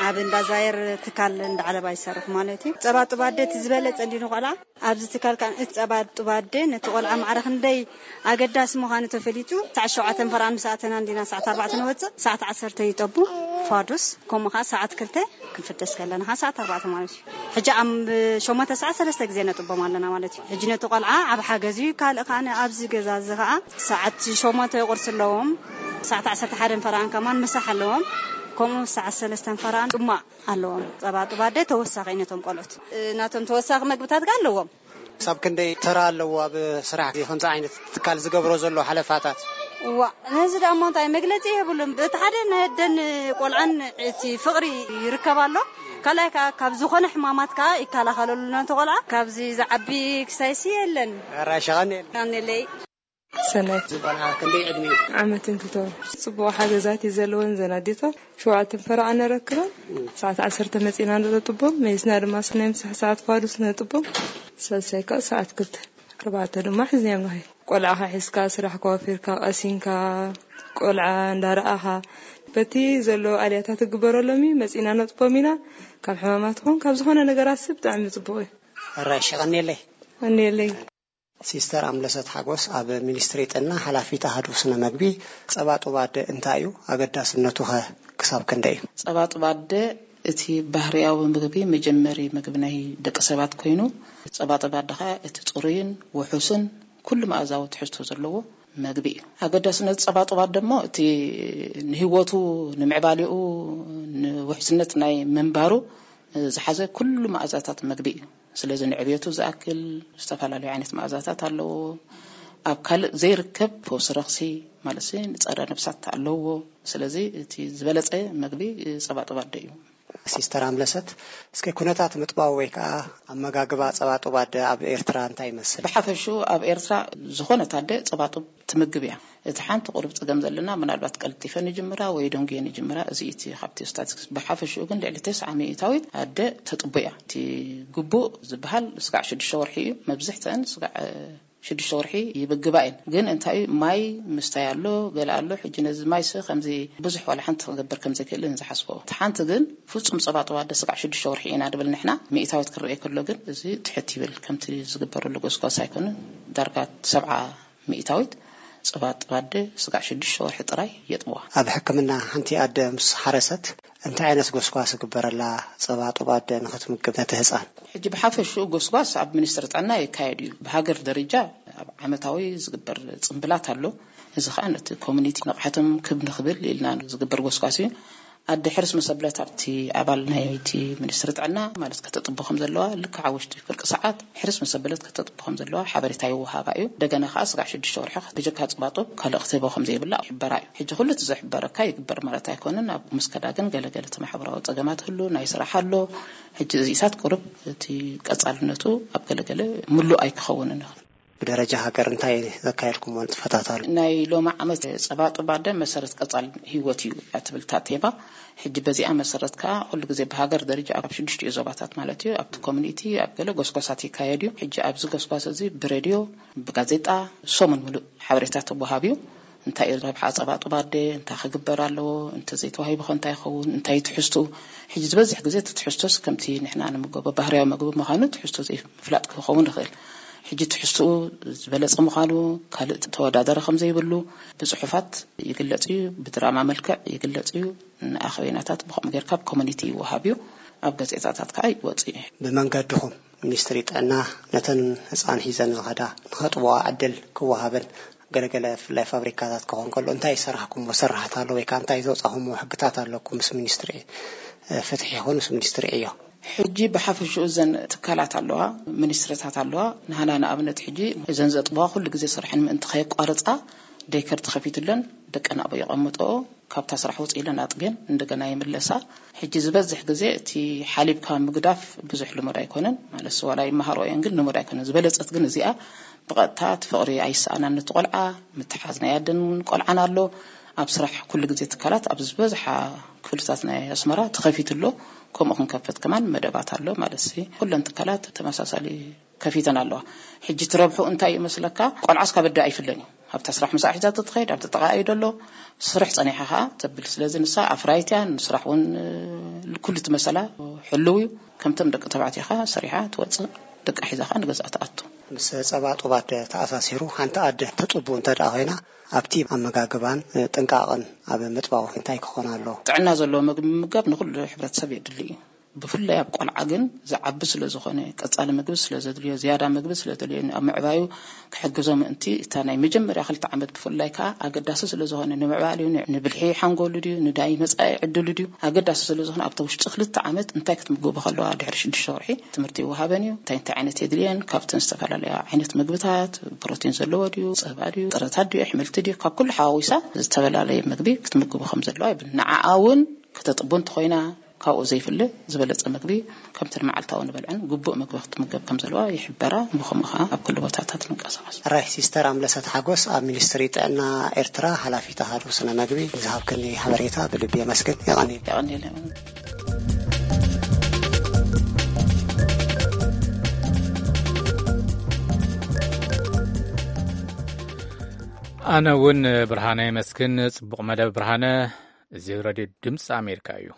ኣብ እንዳ ዛየር ትካል እንዳ ዓለባ ይሰርሕ ማለት እዩ። ጸባ ጡብ ኣደ እቲ ዝበለጸ እንዲ ንቆልዓ ኣብዚ ትካል ከኣ እቲ ጸባ ጡብ ኣደ ነቲ ቆልዓ ማዕረ ክንደይ ኣገዳሲ ምዃኑ ተፈሊጡ፣ ሰዓት ሸውዓተ ፈርቓን ምስ ኣተና እንዲና ሰዓት ኣርባዕተ ንወጽእ፣ ሰዓት ዓሰርተ ይጠቡ ፋዱስ፣ ከምኡ ከኣ ሰዓት ክልተ ክንፍደስ ከለና ከኣ ሰዓት ኣርባዕተ ማለት እዩ። ሕጂ ኣብ ሸሞንተ ሰዓት ሰለስተ ግዜ ነጥቦም ኣለና ማለት እዩ። ሕጂ ነቲ ቆልዓ ኣብ ሓገዝ እዩ። ካልእ ከኣ ኣብዚ ገዛ እዚ ከኣ ሰዓት ሸሞንተ ቁርሲ ኣለዎም፣ ሰዓት ዓሰርተ ሓደ ፈርቓን ከማን ምሳሕ ኣለዎም። ከምኡ ሰዓት ሰለስተ ፈርቓን ጥማቕ ኣለዎም። ጸባ ጡብ ኣደ ተወሳኺ እዩ ነቶም ቆልዑት። እ፣ ናቶም ተወሳኺ መግብታት ከኣ ኣለዎም። ክሳብ ክንደይ ተራ ኣለዎ ኣብ ስራሕ እዚ ከምዚ ዓይነት ትካል ዝገብሮ ዘሎ ሓለፋታት? እዋ፣ ነዚ ደኣ እሞ እንታይ መግለጺ የብሉን። በቲ ሓደ ናይ ኣደን ቆልዓን እቲ ፍቕሪ ይርከብ ኣሎ። ካልኣይ ከኣ ካብ ዝኾነ ሕማማት ከኣ ይከላኸለሉ ነቲ ቆልዓ። ካብዚ ዝዓቢ ክሳይሲ የለን። ኣራይ ሸቐን የለን። ኣነለይ። ሰናይት። እዚ ቆልዓ ክንደይ ዕድመ እዩ? ዓመትን ክልተ ወር። ጽቡቕ ሓገዛት እዩ ዘለወን ዘን ኣዴታት። ሸውዓተ ፈርቓን ነረክበን። ሰዓት ዓሰርተ መጺና ነጥቦም። መይስና ድማ ናይ ምሳሕ ሰዓት ፋዱስ ነጥቦም። ሳልሳይ ከኣ ሰዓት ክልተ። ኣርባዕተ ድማ ሒዝናዮም ንኸይድ። ቆልዓኻ ሒዝካ፣ ስራሕ ከዋፊርካ፣ ቀሲንካ፣ ቆልዓ እንዳረኣኻ፣ በቲ ዘሎ ኣልያታት ክግበረሎም እዩ። መጺና ነጥቦም ኢና። ካብ ሕማማት ይኹን ካብ ዝኾነ ነገራት ሰብ ብጣዕሚ ጽቡቕ እዩ። ኣራይ ሸቐን የለይ። ኣነ የለይ። ሲስተር ኣምለሰት ሓጎስ ኣብ ሚኒስትሪ ጥዕና ሓላፊት ኣሃዱ ስነ መግቢ፣ ጸባ ጡብ ኣደ እንታይ እዩ? ኣገዳስነቱ ኸ ክሳብ ክንደይ እዩ? ጸባ ጡብ ኣደ እቲ ባህርያዊ ምግቢ፣ መጀመሪ ምግቢ ናይ ደቂ ሰባት ኮይኑ፣ ጸባ ጡብ ኣደ ኸኣ እቲ ጽሩይን ውሑስን ኩሉ መኣዛዊ ትሕዝቶ ዘለዎ መግቢ እዩ። ኣገዳስነት ጸባ ጡብ ኣደ እሞ እቲ ንህይወቱ፣ ንምዕባሌኡ፣ ንውሕስነት ናይ ምንባሩ ዝሓዘ ኩሉ መኣዛታት መግቢ እዩ። ስለዚ ንዕብየቱ ዝኣክል ዝተፈላለዩ ዓይነት መኣዛታት ኣለዎ። ኣብ ካልእ ዘይርከብ ፈውሲ ረኽሲ ማለት ንጸረ ነብሳት ኣለዎ። ስለዚ እቲ ዝበለጸ መግቢ ጸባ ጡብ ኣደ እዩ። ሲስተር ኣምለሰት፣ እስከ ኩነታት ምጥባው ወይ ከዓ ኣመጋግባ ጸባ ጡብ ኣደ ኣብ ኤርትራ እንታይ ይመስል? ብሓፈሽኡ ኣብ ኤርትራ ዝኾነት ኣደ ጸባ ጡብ ትምግብ እያ። እቲ ሓንቲ ቁሩብ ጸገም ዘለና ምናልባት ቀልጢፈ ንጅምራ ወይ ደንጉየ ንጅምራ፣ እዚ እቲ ካብቲ ስታቲስቲክስ። ብሓፈሽኡ ግን ልዕሊ ተስዓ ሚእታዊት ኣደ ተጥቡ እያ። እቲ ግቡእ ዝበሃል ስጋዕ ሽዱሽተ ወርሒ እዩ። መብዝሕተን ስጋዕ ሽዱሽተ ወርሒ ይብግባ እየን። ግን እንታይ እዩ፣ ማይ ምስታይ ኣሎ፣ ገለ ኣሎ። ሕጂ ነዚ ማይሲ ከምዚ ብዙሕ ዋላ ሓንቲ ክገብር ከም ዘይክእል ዝሓስቦ። እቲ ሓንቲ ግን ፍጹም ጸባ ጡብ ኣደ ስጋዕ ሽዱሽተ ወርሒ ኢና ድብል ንሕና። ሚእታዊት ክረኤ ከሎ ግን እዚ ትሕት ይብል። ከምቲ ዝግበረሉ ጎስጓስ ኣይኮነን። ዳርጋ ሰብዓ ሚእታዊት ጸባ ጡብ ኣደ ስጋዕ ሽዱሽተ ወርሒ ጥራይ የጥብዋ። ኣብ ሕክምና ሓንቲ ኣደ ምስ ሓረሰት እንታይ ዓይነት ጎስጓስ ይግበረላ ጸባ ጡብ ኣደ ንኽትምግብ ነቲ ህጻን? ሕጂ ብሓፈሽኡ ጎስጓስ ኣብ ሚኒስትሪ ጥዕና ይካየድ እዩ። ብሃገር ደረጃ ኣብ ዓመታዊ ዝግበር ጽምብላት ኣሎ። እዚ ኸኣ ነቲ ኮሚኒቲ ንቕሓቶም ክብ ንኽብል ኢልና ዝግበር ጎስጓስ እዩ። ኣደ ሕርስ ምስ ኣበለት ኣብቲ ኣባል ናይቲ ሚኒስትሪ ጥዕና ማለት ከተጥቡ ከም ዘለዋ ልክዕ ኣብ ውሽጢ ፍርቂ ሰዓት ሕርስ ምስ ኣበለት ከተጥቡ ከም ዘለዋ ሓበሬታ ይወሃባ እዩ። እንደገና ኸኣ ስጋዕ ሽዱሽተ ወርሒ ብጀካ ጸባ ጡብ ካልእ ክትህቦ ከም ዘይብላ ይሕበራ እዩ። ሕጂ ኩሉ እቲ ዝሕበረካ ይግበር ማለት ኣይኮነን። ኣብ ምስከዳ ግን ገለገለ እቲ ማሕበራዊ ጸገማት ህሉ፣ ናይ ስራሕ ኣሎ። ሕጂ እዚታት ቁሩብ እቲ ቀጻልነቱ ኣብ ገለገለ ምሉእ ኣይክኸውንን ይኽእል። ብደረጃ ሃገር እንታይ ዘካየድኩምዎ ንጥፈታት ኣሎ? ናይ ሎሚ ዓመት ጸባ ጡብ ኣደ መሰረት ቀጻል ህይወት እዩ እያ ትብል እታ ቴማ። ሕጂ በዚኣ መሰረት ከኣ ኩሉ ግዜ ብሃገር ደረጃ ኣብ ሽዱሽቲኡ ዞባታት ማለት እዩ፣ ኣብቲ ኮሚኒቲ ኣብ ገለ ጎስጓሳት ይካየድ እዩ። ሕጂ ኣብዚ ጎስጓስ እዚ ብሬድዮ፣ ብጋዜጣ፣ ሰሙን ምሉእ ሓበሬታ ተወሃብ እዩ። እንታይ እዩ ረብሓ ጸባ ጡብ ኣደ፣ እንታይ ክግበር ኣለዎ፣ እንተ ዘይተዋሂቡ ከ እንታይ ይኸውን፣ እንታይ እዩ ትሕዝትኡ? ሕጂ ዝበዝሕ ግዜ እቲ ትሕዝቶስ ከምቲ ንሕና ንምገቦ ባህርያዊ መግቢ ምዃኑ ትሕዝቶ ዘይምፍላጥ ክኸውን ይኽእል። ሕጂ ትሕዝትኡ ዝበለጸ ምዃኑ፣ ካልእ ተወዳዳሪ ከም ዘይብሉ ብጽሑፋት ይግለጽ እዩ፣ ብድራማ መልክዕ ይግለጽ እዩ። ንኣኸበይናታት ብኸምኡ ጌርካ ኣብ ኮሚኒቲ ይወሃብ እዩ፣ ኣብ ጋዜጣታት ከኣ ይወጽእ እዩ። ብመንገድኹም ሚኒስትሪ ጥዕና ነተን ህጻን ሒዘን ዝኸዳ ንኸጥብዋ ዕድል ክወሃበን ገለገለ ብፍላይ ፋብሪካታት ክኸውን ከሎ እንታይ ዝሰራሕኩምዎ ስራሓት ኣሎ ወይ ከዓ እንታይ ዘውፃኹምዎ ሕግታት ኣለኩም ምስ ሚኒስትሪ ፍትሒ ይኹን ምስ ሚኒስትሪ ዕዮ? ሕጂ ብሓፈሽኡ እዘን ትካላት ኣለዋ፣ ሚኒስትሪታት ኣለዋ። ንሃና ንኣብነት ሕጂ እዘን ዘጥብዋ ኩሉ ግዜ ስርሐን ምእንቲ ከየቋርፃ ደይከር ተኸፊቱለን ደቀን ኣብኡ የቐምጥኦ። ካብታ ስራሕ ውፅእ ኢለን ኣጥብየን እንደገና ይምለሳ። ሕጂ ዝበዝሕ ግዜ እቲ ሓሊብካ ምግዳፍ ብዙሕ ልሙድ ኣይኮነን። ማለትስ ዋላ ይመሃሮ እየን ግን ልሙድ ኣይኮነን። ዝበለጸት ግን እዚኣ ብቐጥታ እቲ ፍቕሪ ኣይሰኣናን ነቲ ቆልዓ፣ ምትሓዝ ናይ ኣደን ቆልዓን ኣሎ። ኣብ ስራሕ ኩሉ ግዜ ትካላት ኣብ ዝበዝሓ ክፍልታት ናይ ኣስመራ ተኸፊቱ ኣሎ። ከምኡ ክንከፈት ከማን መደባት ኣሎ ማለት ሲ ኩለን ትካላት ተመሳሳሊ ከፊተን ኣለዋ። ሕጂ ትረብሑ እንታይ እዩ መስለካ? ቆልዓስ ካብ ኣደ ኣይፍለን እዩ። ኣብታ ስራሕ ምሳሕ ሒዛ ትኸይድ ኣብቲ ጥቓ እዩ ደሎ ስርሕ ጸኒሓ ኸዓ ተብል። ስለዚ ንሳ ኣፍራይት እያ፣ ንስራሕ እውን ኩሉ ትመሰላ ሕልው እዩ። ከምቶም ደቂ ተባዕትዮ ኸዓ ሰሪሓ ትወፅእ፣ ደቃ ሒዛ ኸዓ ንገዝኣ ትኣቱ። ምስ ጸባ ጡባት ተኣሳሲሩ ሓንቲ ኣደ ተጥቡ እንተ ደኣ ኮይና ኣብቲ ኣመጋግባን ጥንቃቕን ኣብ ምጥባቑ እንታይ ክኾን ኣለዎ? ጥዕና ዘለዎ ምግቢ ምምጋብ ንኹሉ ሕብረተሰብ የድሊ እዩ። ብፍላይ ኣብ ቆልዓ ግን ዝዓቢ ስለ ዝኾነ፣ ቀጻሊ ምግቢ ስለ ዘድልዮ፣ ዝያዳ ምግቢ ስለ ዘድልዮ፣ ኣብ ምዕባዩ ክሕግዞ ምእንቲ፣ እታ ናይ መጀመርያ ክልተ ዓመት ብፍላይ ከኣ ኣገዳሲ ስለ ዝኾነ፣ ንምዕባሊኡ፣ ን-፣ ንብልሒ ሓንጎሉ ድዩ፣ ንዳይ መጻኢ ዕድሉ ድዩ፣ ኣገዳሲ ስለ ዝኾነ፣ ኣብታ ውሽጢ ክልተ ዓመት እንታይ ክትምግቦ ከለዋ፣ ድሕሪ ሽዱሽተ ወርሒ ትምህርቲ ይወሃበን እዩ። እንታይ እንታይ ዓይነት የድልየን፣ ካብተን ዝተፈላለያ ዓይነት ምግብታት፣ ፕሮቲን ዘለዎ ድዩ፣ ጸባ ድዩ፣ ጥረታት ድዩ፣ ኣሕምልቲ ድዩ፣ ካብ ኩሉ ሓዋዊሳ ዝተፈላለየ ምግቢ ክትምግቦ ከም ዘለዋ ይብል። ንዓኣ እውን ከተጥቡ እንተኾይና፣ ካብኡ ዘይፍለ ዝበለጸ ምግቢ ከምቲ ንመዓልታዊ ንበልዐን ግቡእ ምግቢ ክትምገብ ከም ዘለዋ ይሕበራ። ብኸምኡ ኸኣ ኣብ ኩሉ ቦታታት ንንቀሳቐስ። ራይ ሲስተር ኣምለሰት ሓጎስ ኣብ ሚኒስትሪ ጥዕና ኤርትራ ሓላፊት ኣሃዱ ስነ መግቢ ንዝሃብክኒ ሓበሬታ ብልቢ የመስግን። የቐንየለይ። የቐንየለይ። ኣነ እውን ብርሃነ የመስግን። ጽቡቕ መደብ ብርሃነ። እዚ ሬድዮ ድምፂ ኣሜሪካ እዩ።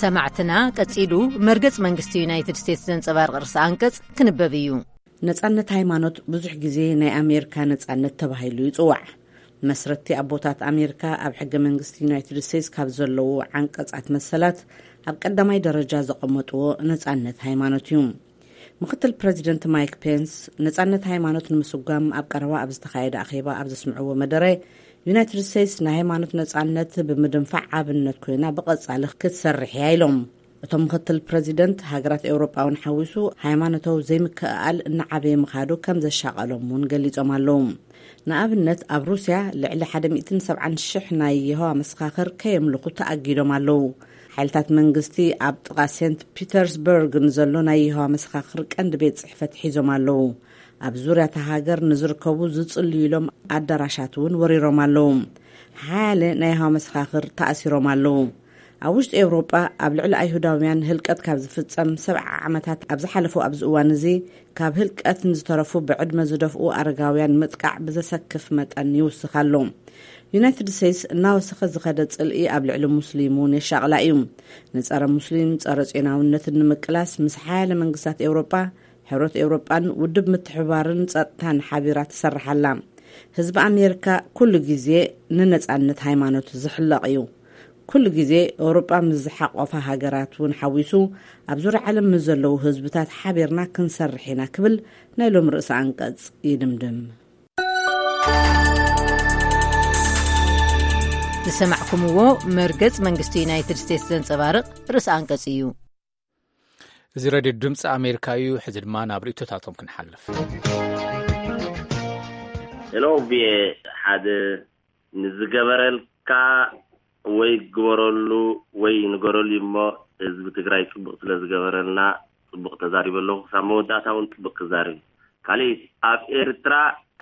ሰማዕትና፣ ቀጺሉ መርገጽ መንግስቲ ዩናይትድ ስቴትስ ዘንጸባርቕ ርእሰ ኣንቀጽ ክንበብ እዩ። ነጻነት ሃይማኖት ብዙሕ ግዜ ናይ ኣሜሪካ ነጻነት ተባሂሉ ይጽዋዕ። መስረትቲ ኣቦታት ኣሜሪካ ኣብ ሕገ መንግስቲ ዩናይትድ ስቴትስ ካብ ዘለዉ ዓንቀጻት መሰላት ኣብ ቀዳማይ ደረጃ ዘቐመጥዎ ነጻነት ሃይማኖት እዩ። ምክትል ፕረዚደንት ማይክ ፔንስ ነጻነት ሃይማኖት ንምስጓም ኣብ ቀረባ ኣብ ዝተኻየደ ኣኼባ ኣብ ዘስምዕዎ መደረ፣ ዩናይትድ ስቴትስ ናይ ሃይማኖት ነጻነት ብምድንፋዕ ኣብነት ኮይና ብቐጻሊ ክትሰርሕ እያ ኢሎም። እቶም ምክትል ፕረዚደንት፣ ሃገራት ኤውሮጳ እውን ሓዊሱ፣ ሃይማኖታዊ ዘይምክእኣል እናዓበየ ምኻዱ ከም ዘሻቐሎም እውን ገሊጾም ኣለዉ። ንኣብነት፣ ኣብ ሩስያ ልዕሊ ሓደ ሚእትን ሰብዓን ሽሕ ናይ የሆዋ መሰኻኽር ከየምልኹ ተኣጊዶም ኣለዉ። ሓይልታት መንግስቲ ኣብ ጥቓ ሴንት ፒተርስበርግ ንዘሎ ናይ የሆዋ መሰኻኽር ቀንዲ ቤት ጽሕፈት ሒዞም ኣለዉ። ኣብ ዙርያ እታ ሃገር ንዝርከቡ ዝጽልዩሎም ኣዳራሻት እውን ወሪሮም ኣለዉ። ሓያለ ናይ የሆዋ መሰኻኽር ተኣሲሮም ኣለዉ። ኣብ ውሽጢ ኤውሮጳ ኣብ ልዕሊ ኣይሁዳውያን ህልቀት ካብ ዝፍጸም ሰብዓ ዓመታት ኣብ ዝሓለፉ ኣብዚ እዋን እዚ፣ ካብ ህልቀት ንዝተረፉ ብዕድመ ዝደፍኡ ኣረጋውያን ምጥቃዕ ብዘሰክፍ መጠን ይውስኽ ኣሎ። ዩናይትድ ስቴትስ እናወሰኸ ዝኸደ ጽልኢ ኣብ ልዕሊ ሙስሊም እውን የሻቕላ እዩ። ንጸረ ሙስሊም፣ ጸረ ጽዮናውነትን ንምቅላስ ምስ ሓያለ መንግስታት ኤውሮጳ፣ ሕብረት ኤውሮጳን ውድብ ምትሕብባርን ጸጥታን ሓቢራ ትሰርሕ ኣላ። ህዝቢ ኣሜሪካ ኩሉ ግዜ ንነጻነት ሃይማኖት ዝሕለቕ እዩ። ኩሉ ግዜ ኤውሮጳ ምስ ዝሓቆፋ ሃገራት እውን ሓዊሱ ኣብ ዙርያ ዓለም ምስ ዘለዉ ህዝብታት ሓቢርና ክንሰርሕ ኢና ክብል ናይ ሎም ርእሰ ኣንቀጽ ይድምድም። ዝሰማዕኩምዎ መርገጽ መንግስቲ ዩናይትድ ስቴትስ ዘንጸባርቕ ርእሰ ኣንቀጽ እዩ። እዚ ሬድዮ ድምፂ ኣሜሪካ እዩ። ሕዚ ድማ ናብ ርእይቶታቶም ክንሓልፍ። ሄሎ ቪኤ፣ ሓደ ንዝገበረልካ ወይ ግበረሉ ወይ ንገረሉ እሞ ህዝቢ ትግራይ ጽቡቕ ስለ ዝገበረልና ጽቡቕ ተዛሪበ ኣለኹ። ክሳብ መወዳእታ እውን ጽቡቕ ክዛረብ። ካልእ ኣብ ኤርትራ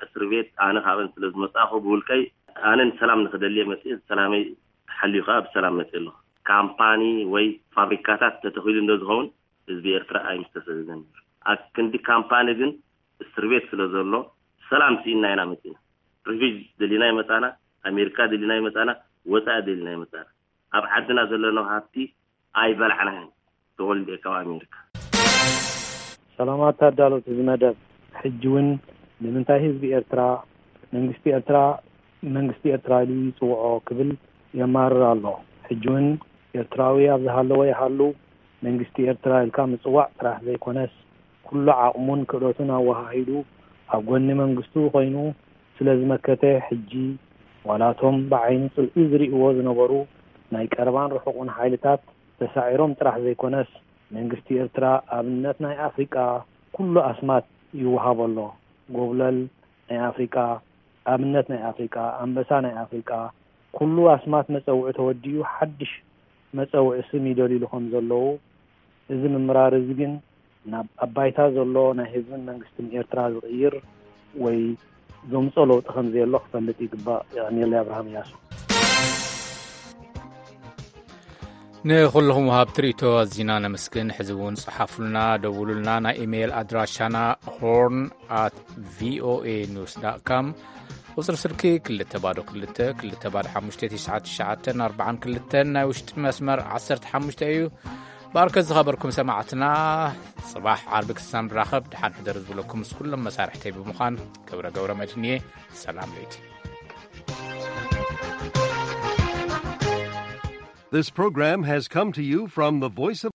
እስር ቤት ኣነ ካብን ስለ ዝመጻኹ ብውልቀይ ኣነ ንሰላም ንክደልየ መጽእ ሰላመይ ተሓልዩ ከዓ ብሰላም መጽእ ኣለኹ። ካምፓኒ ወይ ፋብሪካታት ተተኺሉ እንዶ ዝኸውን ህዝቢ ኤርትራ ኣይምስተሰደደን ነይሩ። ኣብ ክንዲ ካምፓኒ ግን እስር ቤት ስለ ዘሎ ሰላም ስኢና ኢና መጺና። ሪፊጅ ደሊና ይመጻና፣ ኣሜሪካ ደሊና ይመጻና፣ ወጻኢ ደሊና ይመጻና። ኣብ ዓድና ዘለናው ሃብቲ ኣይበላዕናን። ተወልደ ካብ ኣሜሪካ። ሰላማት ኣዳለውቲ እዚ መደብ፣ ሕጂ እውን ንምንታይ ህዝቢ ኤርትራ መንግስቲ ኤርትራ መንግስቲ ኤርትራ ኢሉ ይጽውዖ ክብል የማርር ኣሎ። ሕጂ እውን ኤርትራዊ ኣብ ዝሃለወ ይሃሉ መንግስቲ ኤርትራ ኢልካ ምጽዋዕ ጥራሕ ዘይኮነስ፣ ኩሉ ዓቕሙን ክእለቱን ኣወሃሂዱ ኣብ ጎኒ መንግስቱ ኮይኑ ስለ ዝመከተ፣ ሕጂ ዋላ እቶም ብዓይኒ ጽልኢ ዝርእይዎ ዝነበሩ ናይ ቀረባን ርሑቕን ሓይልታት ተሳዒሮም ጥራሕ ዘይኮነስ፣ መንግስቲ ኤርትራ ኣብነት ናይ ኣፍሪቃ ኩሉ ኣስማት ይወሃቦ ኣሎ። ጎብለል ናይ ኣፍሪቃ፣ ኣብነት ናይ ኣፍሪቃ፣ ኣንበሳ ናይ ኣፍሪቃ፣ ኩሉ ኣስማት መጸውዒ ተወዲኡ ሓድሽ መጸውዒ ስም ይደልዩሉ ከም ዘለዉ፣ እዚ ምምራር እዚ ግን ናብ ኣብ ባይታ ዘሎ ናይ ህዝብን መንግስትን ኤርትራ ዝቕይር ወይ ዘምፅኦ ለውጢ ከም ዘየሎ ክፈልጥ ይግባእ። የቐንየለይ። ኣብርሃም እያሱ። ንኹልኹም ወሃብቲ ርእይቶ ኣዚና ነመስግን። ሕዚ እውን ጸሓፉልና፣ ደውሉልና። ናይ ኢሜይል ኣድራሻና ሆርን ኣት ቪኦኤ ኒውስ ዳት ካም፣ ቁጽሪ ስልኪ ክልተ ባዶ ክልተ፣ ክልተ ባዶ ሓሙሽተ፣ ትሽዓተ ትሽዓተ ኣርባዓ ክልተ፣ ናይ ውሽጢ መስመር ዓሰርተ ሓሙሽተ እዩ። ባርከ ዝኸበርኩም ሰማዕትና፣ ጽባሕ ዓርቢ ክሳብ ንራኸብ፣ ደሓን ሕደሩ ዝብለኩም ምስ ኩሎም መሳርሕተይ ብምዃን ገብረ ገብረ መድህን እየ። ሰላም ለይቲ። This program has come to you from the Voice of